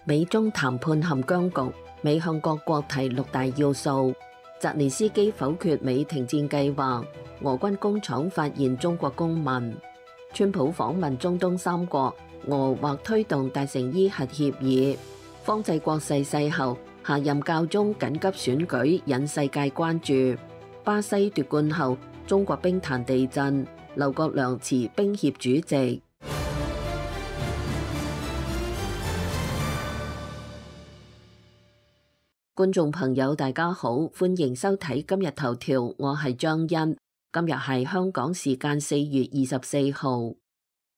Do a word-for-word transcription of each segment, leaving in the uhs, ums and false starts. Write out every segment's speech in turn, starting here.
美中談判陷僵局，美向各國提六大要素。澤連斯基否決美停戰計劃，俄軍工廠發現中國公民。川普訪問中東三國，俄或推動達成伊核協議。方濟國逝世後，下任教宗緊急選舉引世界關注。巴西奪冠後，中國冰壇地震，劉國梁辭冰協主席。觀眾朋友大家好，歡迎收睇今日頭條，我係張欣。今日係香港時間四月二十四號。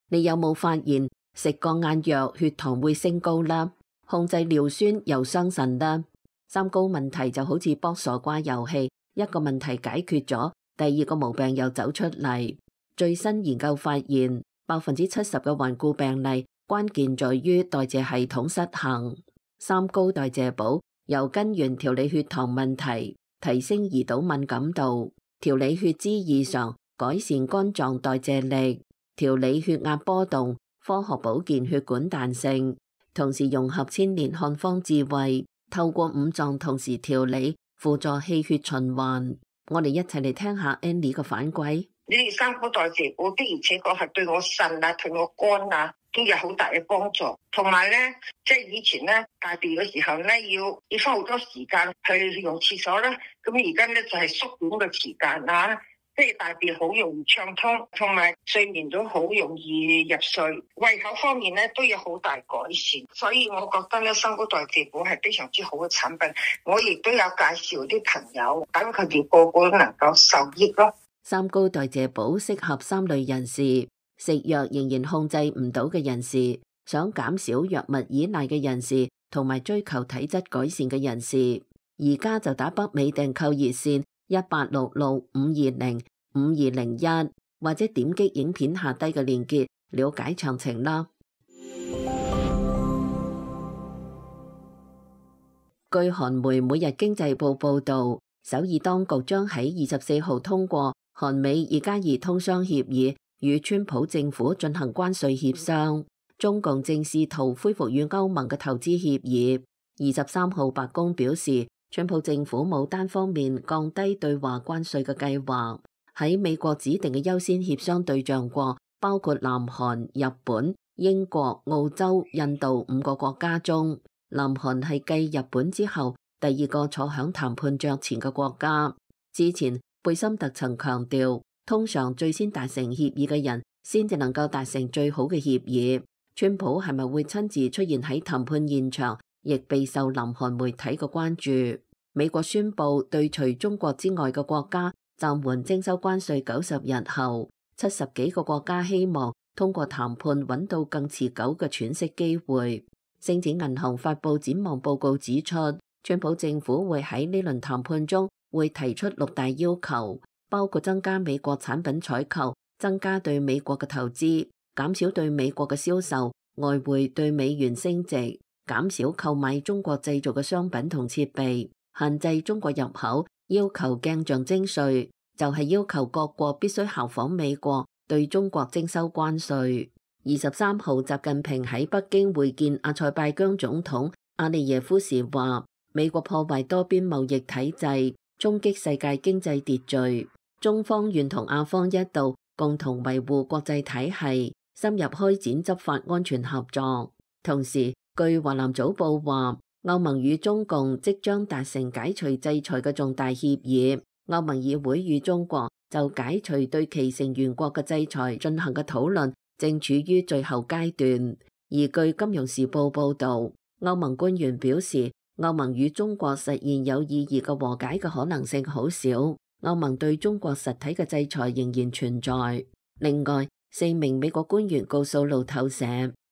你有冇發現食降壓藥血糖會升高啦？控制尿酸又傷腎啦？三高問題就好似卜傻瓜遊戲，一個問題解決咗，第二個毛病又走出嚟。最新研究發現，百分之七十嘅患故病例關鍵在於代謝系統失衡。三高代謝補由根源調理血糖問題，提升胰島敏感度，調理血脂異常，改善肝臟代謝力，調理血壓波動，科學保健血管彈性，同時融合千年漢方智慧，透過五臟同時調理，輔助氣血循環。我哋一齊嚟聽下 Annie 嘅反饋。你哋三高代謝補的而且確係對我腎啊，對我肝啊都有好大嘅幫助。同埋咧，即係以前咧大便嘅時候咧，要要花好多時間去用廁所啦。咁而家咧就係縮短嘅時間啊，即係大便好容易暢通，同埋睡眠都好容易入睡。胃口方面咧都有好大改善，所以我覺得咧三高代謝補係非常之好嘅產品。我亦都有介紹啲朋友，等佢哋個個都能夠受益咯。三高代謝補適合三類人士：食藥仍然控制唔到嘅人士，想減少藥物依賴嘅人士，同埋追求體質改善嘅人士。而家就打北美訂購熱線一八六六五二零五二零一，或者點擊影片下低嘅鏈接了解詳情啦。據韓媒每日經濟報報道，首爾當局將喺二十四號通過韓美二加二通商協議，與川普政府進行關稅協商。中共正試圖恢復與歐盟嘅投資協議。二十三號白宮表示，川普政府冇單方面降低對華關稅嘅計劃。喺美國指定嘅優先協商對象國，包括南韓、日本、英國、澳洲、印度五個國家中，南韓係繼日本之後第二個坐響談判桌前嘅國家。之前貝森特曾強調，通常最先達成協議嘅人先至能夠達成最好嘅協議。川普係咪會親自出現喺談判現場，亦備受南韓媒體嘅關注。美國宣布對除中國之外嘅國家暫緩徵收關稅九十日後，七十幾個國家希望通過談判揾到更持久嘅喘息機會。星展銀行發布展望報告指出，川普政府會喺呢輪談判中會提出六大要求，包括增加美國產品採購，增加對美國嘅投資，減少對美國嘅銷售，外匯對美元升值，減少購買中國製造嘅商品同設備，限制中國入口，要求鏡像徵稅，就係要求各國必須效仿美國對中國徵收關稅。二十三號，習近平喺北京會見阿塞拜疆總統阿利耶夫時話，美國破壞多邊貿易體制，衝擊世界經濟秩序，中方願同亞方一道共同維護國際體系，深入開展執法安全合作。同時，據華南早報話，歐盟與中共即將達成解除制裁嘅重大協議，歐盟議會與中國就解除對其成員國嘅制裁進行嘅討論正處於最後階段。而據金融時報報道，歐盟官員表示，歐盟與中國實現有意義嘅和解嘅可能性好少，歐盟對中國實體嘅制裁仍然存在。另外，四名美國官員告訴路透社，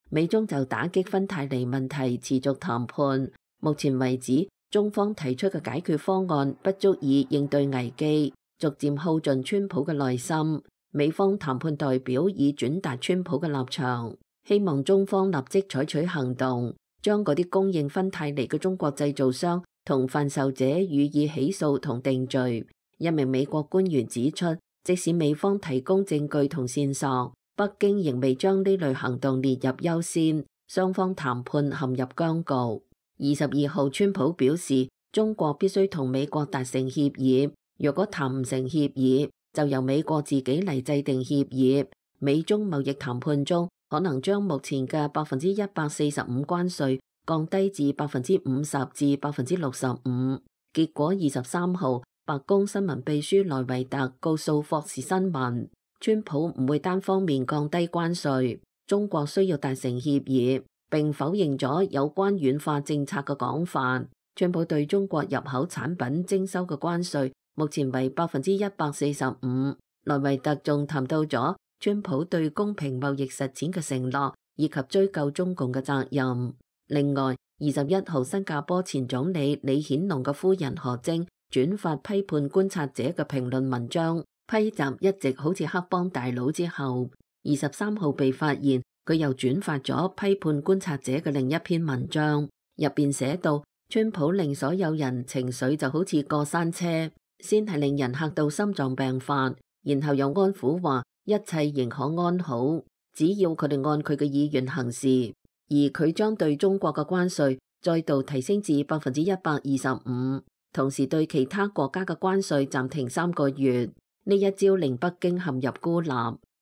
美中就打擊芬太尼問題持續談判，目前為止，中方提出嘅解決方案不足以應對危機，逐漸耗盡川普嘅耐心。美方談判代表已轉達川普嘅立場，希望中方立即採取行動，將嗰啲供應芬太尼嘅中國製造商同販售者予以起訴同定罪。一名美國官員指出，即使美方提供證據同線索，北京仍未將呢類行動列入優先，雙方談判陷入僵局。二十二號，川普表示，中國必須同美國達成協議，若果談唔成協議，就由美國自己嚟制定協議。美中貿易談判中，可能將目前嘅百分之一百四十五關稅降低至百分之五十至百分之六十五。結果二十三號，白宮新聞秘書萊維特告訴霍士新聞，川普唔會單方面降低關稅，中國需要達成協議，並否認咗有關軟化政策嘅講法。川普對中國入口產品徵收嘅關稅目前為百分之一百四十五。萊維特仲談到咗川普對公平貿易實踐嘅承諾，以及追究中共嘅責任。另外，二十一號，新加坡前總理李顯龍嘅夫人何晶轉發批判觀察者嘅評論文章，批襲一直好似黑幫大佬之後，二十三號被發現佢又轉發咗批判觀察者嘅另一篇文章，入邊寫到川普令所有人情緒就好似過山車，先係令人嚇到心臟病發，然後又安撫話一切仍可安好，只要佢哋按佢嘅意願行事。而佢將對中國嘅關稅再度提升至百分之一百二十五，同時對其他國家嘅關稅暫停三個月。呢一招令北京陷入孤立。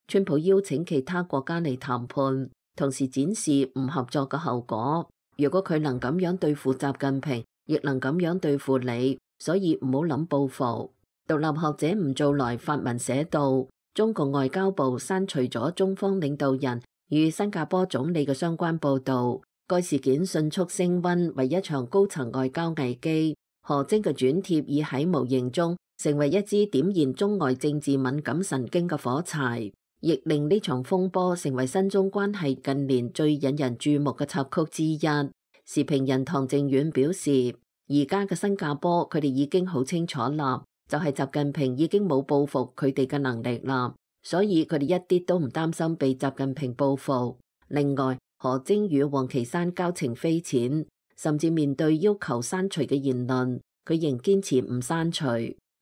川普邀請其他國家嚟談判，同時展示唔合作嘅後果。如果佢能咁樣對付習近平，亦能咁樣對付你，所以唔好諗報復。獨立學者吳造來發文寫道，中共外交部刪除咗中方領導人與新加坡總理嘅相關報導，該事件迅速升溫為一場高層外交危機。何晶嘅轉貼已喺無形中成為一支點燃中外政治敏感神經嘅火柴，亦令呢場風波成為新中關係近年最引人注目嘅插曲之一。時評人唐靖遠表示，而家嘅新加坡佢哋已經好清楚啦，就係習近平已經冇報復佢哋嘅能力啦。所以佢哋一啲都唔擔心被習近平報復。另外，何晶與王岐山交情匪淺，甚至面對要求刪除嘅言論，佢仍堅持唔刪除，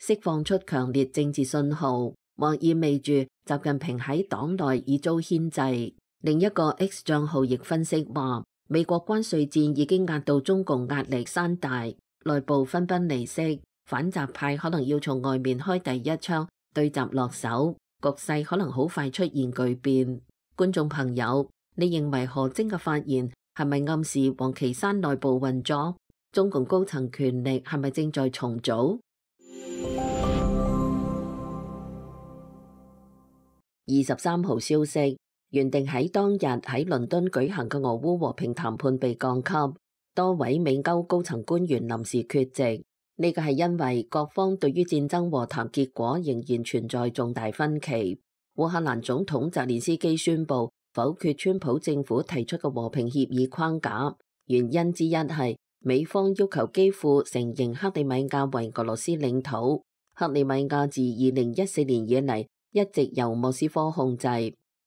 釋放出強烈政治信號，或意味住習近平喺黨內已遭牽制。另一個 X 賬號亦分析話，美國關稅戰已經壓到中共壓力山大，內部分崩離析，反習派可能要從外面開第一槍對習落手。局勢可能好快出現巨變。觀眾朋友，你認為何晶嘅發言係咪暗示王岐山內部運作？中共高層權力係咪正在重組？二十三號消息，原定喺當日喺倫敦舉行嘅俄烏和平談判被降級，多位美歐高層官員臨時缺席。呢個係因為各方對於戰爭和談結果仍然存在重大分歧。烏克蘭總統澤連斯基宣布否決川普政府提出嘅和平協議框架，原因之一係美方要求基輔承認克里米亞為俄羅斯領土。克里米亞自二零一四年以嚟一直由莫斯科控制。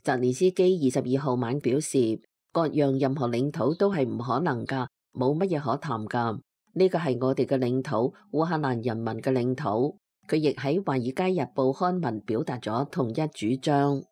澤連斯基二十二號晚表示，割讓任何領土都係唔可能㗎，冇乜嘢可談㗎。呢個係我哋嘅領土，烏克蘭人民嘅領土。佢亦喺《華爾街日報》刊文表達咗同一主張。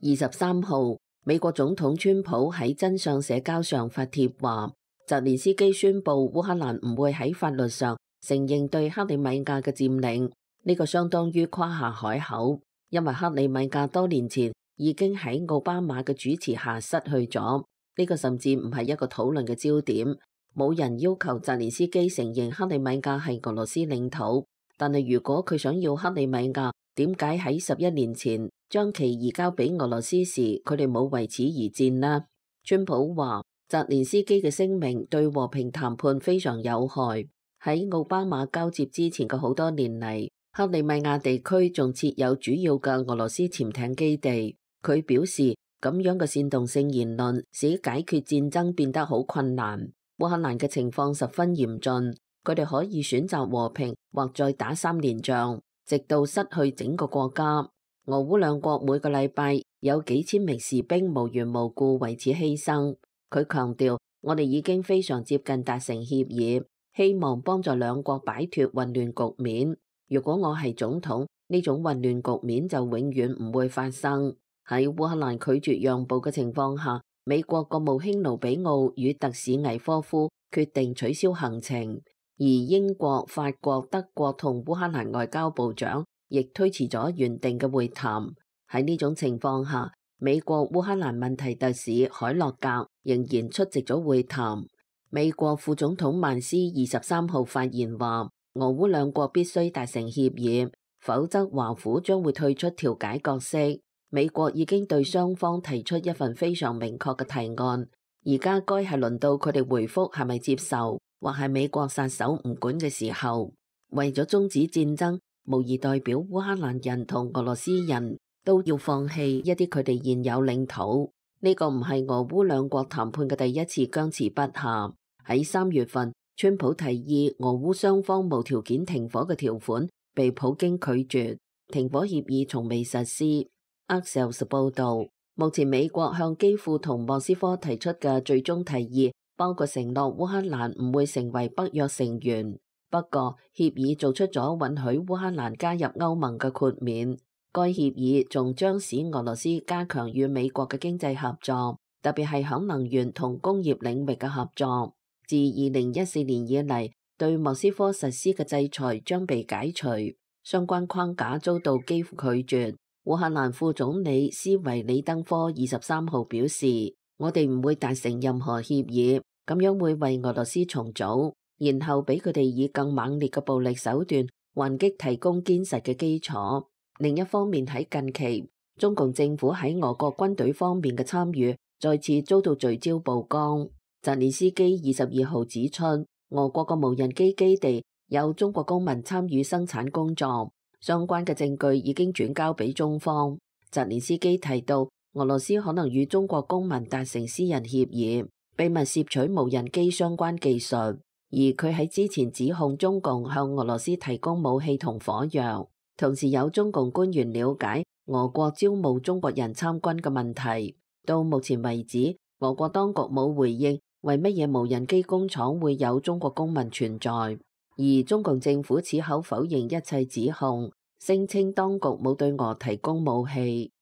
二十三號，美國總統川普喺真相社交上發帖話，澤連斯基宣布烏克蘭唔會喺法律上承認對克里米亞嘅佔領，呢個相當於誇下海口，因為克里米亞多年前已經喺奧巴馬嘅主持下失去咗，呢個甚至唔係一個討論嘅焦點。冇人要求澤連斯基承認克里米亞係俄羅斯領土，但係如果佢想要克里米亞，點解喺十一年前將其移交俾俄羅斯時，佢哋冇為此而戰呢？川普話，澤連斯基嘅聲明對和平談判非常有害。喺奧巴馬交接之前嘅好多年嚟，克里米亞地區仲設有主要嘅俄羅斯潛艇基地。佢表示，咁樣嘅煽動性言論使解決戰爭變得好困難。烏克蘭嘅情況十分嚴峻，佢哋可以選擇和平或再打三年仗，直到失去整個國家。俄烏兩國每個禮拜有幾千名士兵無緣無故為此犧牲。佢強調，我哋已經非常接近達成協議，希望幫助兩國擺脫混亂局面。如果我係總統，呢種混亂局面就永遠唔會發生。喺烏克蘭拒絕讓步嘅情況下，美國國務卿盧比奧與特使倪科夫決定取消行程，而英國、法國、德國同烏克蘭外交部長亦推遲咗原定嘅會談。喺呢種情況下，美國烏克蘭問題特使海洛格仍然出席咗會談。美國副總統曼斯二十三號發言話，俄烏兩國必須達成協議，否則華府將會退出調解角色。美國已經對雙方提出一份非常明確嘅提案，而家該係輪到佢哋回覆係咪接受，或係美國撒手唔管嘅時候。為咗終止戰爭，無疑代表烏克蘭人同俄羅斯人都要放棄一啲佢哋現有領土。呢個唔係俄烏兩國談判嘅第一次僵持不下。喺三月份，川普提議俄烏雙方無條件停火嘅條款被普京拒絕，停火協議從未實施。Axios 報道，目前美國向基輔同莫斯科提出嘅最終提議包括承諾烏克蘭唔會成為北約成員，不過協議做出咗允許烏克蘭加入歐盟嘅豁免。該協議仲將使俄羅斯加強與美國嘅經濟合作，特別係響能源同工業領域嘅合作。自二零一四年以嚟，對莫斯科實施嘅制裁將被解除，相關框架遭到基輔拒絕。烏克蘭副總理斯維里登科二十三號表示，我哋唔會達成任何協議，咁樣會為俄羅斯重組，然後俾佢哋以更猛烈嘅暴力手段還擊提供堅實嘅基礎。另一方面，喺近期，中共政府喺俄國軍隊方面嘅參與再次遭到聚焦曝光。澤連斯基二十二號指出，俄國嘅無人機基地有中國公民參與生產工作，相關嘅證據已經轉交俾中方。澤連斯基提到，俄羅斯可能與中國公民達成私人協議，秘密攝取無人機相關技術，而佢喺之前指控中共向俄羅斯提供武器同火藥。同時有中共官員了解俄國招募中國人參軍嘅問題。到目前為止，俄國當局冇回應為乜嘢無人機工廠會有中國公民存在，而中共政府此口否認一切指控，聲稱當局冇對俄提供武器。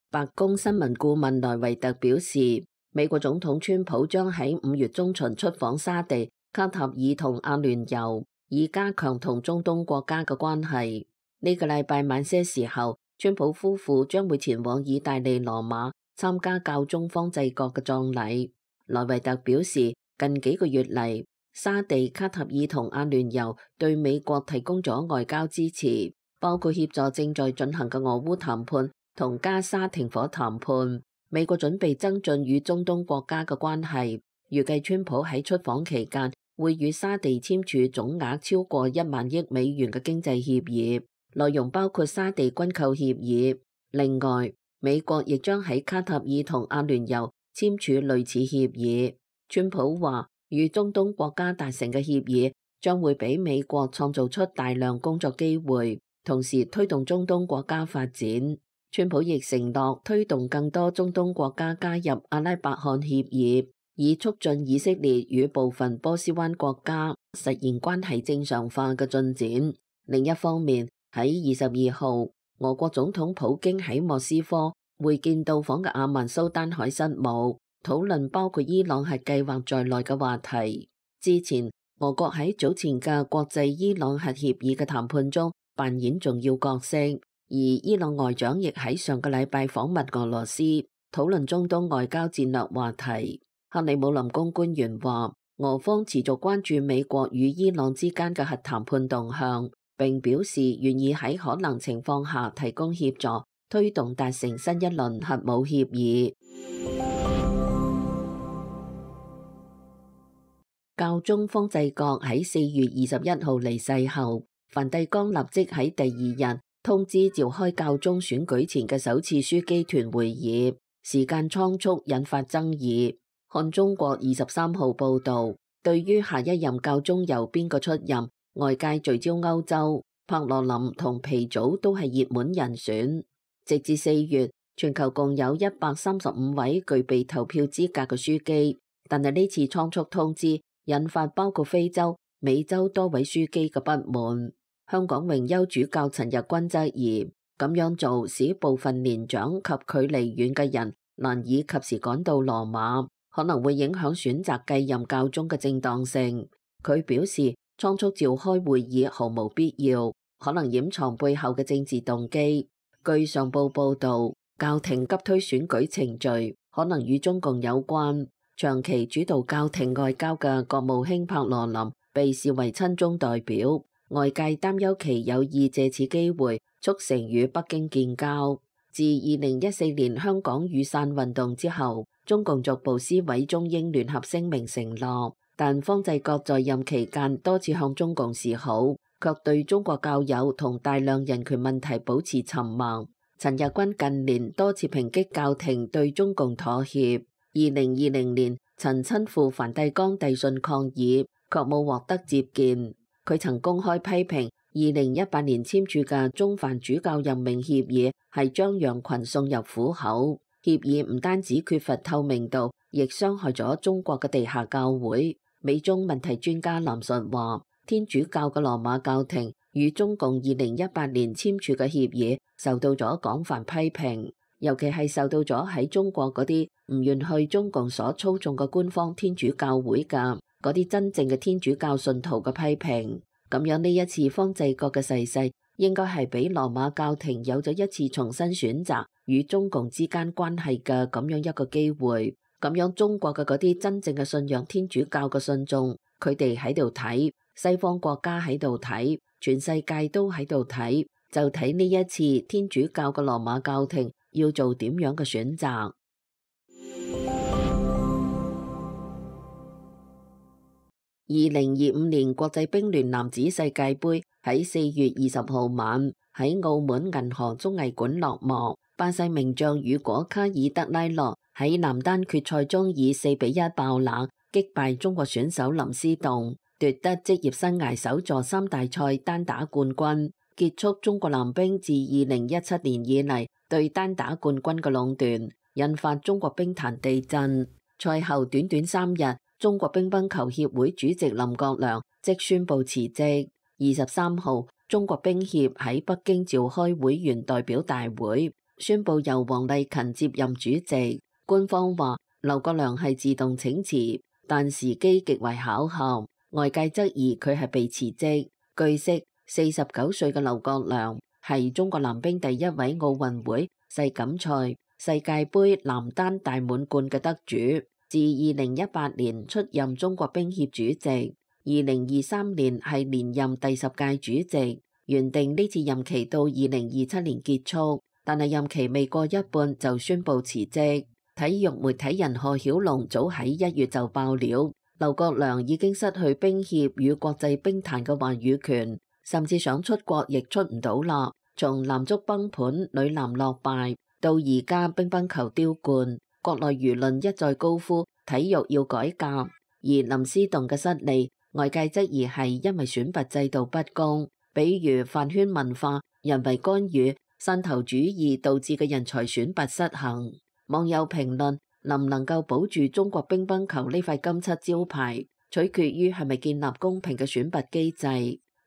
白宮新聞顧問萊維特表示，美國總統川普將喺五月中旬出訪沙地、卡塔爾同阿聯酋，以加強同中東國家嘅關係。呢個禮拜晚些時候，川普夫婦將會前往意大利羅馬參加教宗方濟各嘅葬禮。萊維特表示，近幾個月嚟，沙地、卡塔爾同阿聯酋對美國提供咗外交支持，包括協助正在進行嘅俄烏談判同加沙停火談判。美國準備增進與中東國家嘅關係，預計川普喺出訪期間會與沙地簽署總額超過一萬億美元嘅經濟協議，內容包括沙地軍購協議。另外，美國亦將喺卡塔爾同阿聯酋簽署類似協議。川普話，與中東國家達成嘅協議將會俾美國創造出大量工作機會，同時推動中東國家發展。川普亦承諾推動更多中東國家加入阿拉伯罕協議，以促進以色列與部分波斯灣國家實現關係正常化嘅進展。另一方面，喺二十二號，俄國總統普京喺莫斯科會見到訪嘅阿曼蘇丹海失姆，討論包括伊朗核計劃在內嘅話題。之前，俄國喺早前嘅國際伊朗核協議嘅談判中扮演重要角色。而伊朗外長亦喺上個禮拜訪問俄羅斯，討論中東外交戰略話題。克里姆林宮官員話，俄方持續關注美國與伊朗之間嘅核談判動向，並表示願意喺可能情況下提供協助，推動達成新一輪核武協議。教宗方濟各喺四月二十一號離世後，梵蒂岡立即喺第二日通知召開教宗選舉前嘅首次樞機團會議，時間倉促引發爭議。看中國二十三號報道，對於下一任教宗由邊個出任，外界聚焦歐洲，帕羅林同皮祖都係熱門人選。直至四月，全球共有一百三十五位具備投票資格嘅樞機，但係呢次倉促通知引發包括非洲、美洲多位樞機嘅不滿。香港榮休主教陳日君質疑咁樣做使部分年長及距離遠嘅人難以及時趕到羅馬，可能會影響選擇繼任教宗嘅正當性。佢表示，倉促召開會議毫無必要，可能掩藏背後嘅政治動機。據上報報導，教廷急推選舉程序，可能與中共有關。長期主導教廷外交嘅國務卿帕羅林被視為親中代表，外界擔憂其有意借此機會促成與北京建交。自二零一四年香港雨傘運動之後，中共逐步撕毀中英聯合聲明承諾，但方濟各在任期間多次向中共示好，卻對中國教友同大量人權問題保持沉默。陳日君近年多次抨擊教廷對中共妥協。二零二零年，曾親赴梵蒂岡遞信抗議，卻冇獲得接見。佢曾公開批評二零一八年簽署嘅中梵主教任命協議係將羊群送入虎口。協議唔單止缺乏透明度，亦傷害咗中國嘅地下教會。美中問題專家林述話，天主教嘅羅馬教廷與中共二零一八年簽署嘅協議受到咗廣泛批評，尤其係受到咗喺中國嗰啲唔願去中共所操縱嘅官方天主教會嘅嗰啲真正嘅天主教信徒嘅批評。咁樣呢一次方濟各嘅逝世，應該係俾羅馬教廷有咗一次重新選擇與中共之間關係嘅咁樣一個機會。咁樣中國嘅嗰啲真正嘅信仰天主教嘅信眾，佢哋喺度睇，西方國家喺度睇，全世界都喺度睇，就睇呢一次天主教嘅羅馬教廷要做點樣嘅選擇。二零二五年國際乒聯男子世界盃喺四月二十號晚喺澳門銀河綜藝館落幕。巴西名將雨果卡爾德拉洛喺男單決賽中以四比一爆冷擊敗中國選手林思棟，奪得職業生涯首座三大賽單打冠軍，結束中國男乒自二零一七年以嚟對單打冠軍嘅壟斷，引發中國乒壇地震。賽後短短三日，中國乒乓球協會主席林國良即宣布辭職。二十三號，中國乒協喺北京召開會員代表大會，宣布由王勵勤接任主席。官方話劉國梁係自動請辭，但時機極為巧合，外界質疑佢係被辭職。據悉，四十九歲嘅劉國梁係中國男乒第一位奧運會世錦賽世界盃男單大滿貫嘅得主。自二零一八年出任中國乒協主席，二零二三年係連任第十屆主席。原定呢次任期到二零二七年結束，但係任期未過一半就宣布辭職。體育媒體人賀曉龍早喺一月就爆料，劉國梁已經失去乒協與國際乒壇嘅話語權，甚至想出國亦出唔到啦。從男足崩盤、女籃落敗到而家乒乓球丟冠，國內輿論一再高呼體育要改革，而林思棟嘅失利，外界質疑係因為選拔制度不公，比如飯圈文化、人為干預、山頭主義導致嘅人才選拔失衡。網友評論，能唔能夠保住中國乒乓球呢塊金漆招牌，取決於係咪建立公平嘅選拔機制。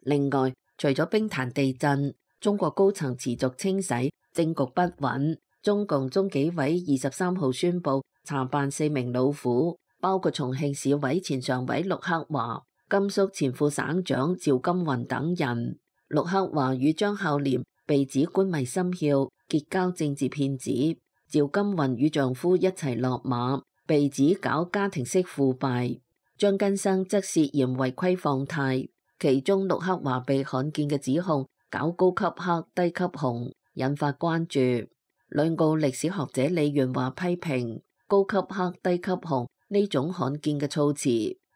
另外，除咗乒壇地震，中國高層持續清洗，政局不穩。中共中紀委二十三號宣布查辦四名老虎，包括重慶市委前常委陸克華、甘肅前副省長趙金雲等人。陸克華與張孝廉被指官迷心竅，結交政治騙子；趙金雲與丈夫一齊落馬，被指搞家庭式腐敗。張根生則涉嫌違規放貸，其中陸克華被罕見嘅指控搞高級黑低級紅，引發關注。兩澳歷史學者李元華批評高級黑低級紅呢種罕見嘅措辭，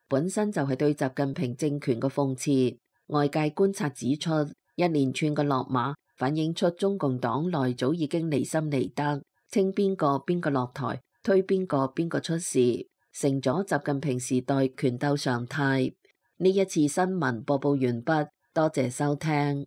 本身就係對習近平政權嘅諷刺。外界觀察指出，一連串嘅落馬反映出中共黨內早已經離心離德，稱邊個邊個落台，推邊個邊個出事，成咗習近平時代權鬥常態。呢一次新聞播報完畢，多謝收聽。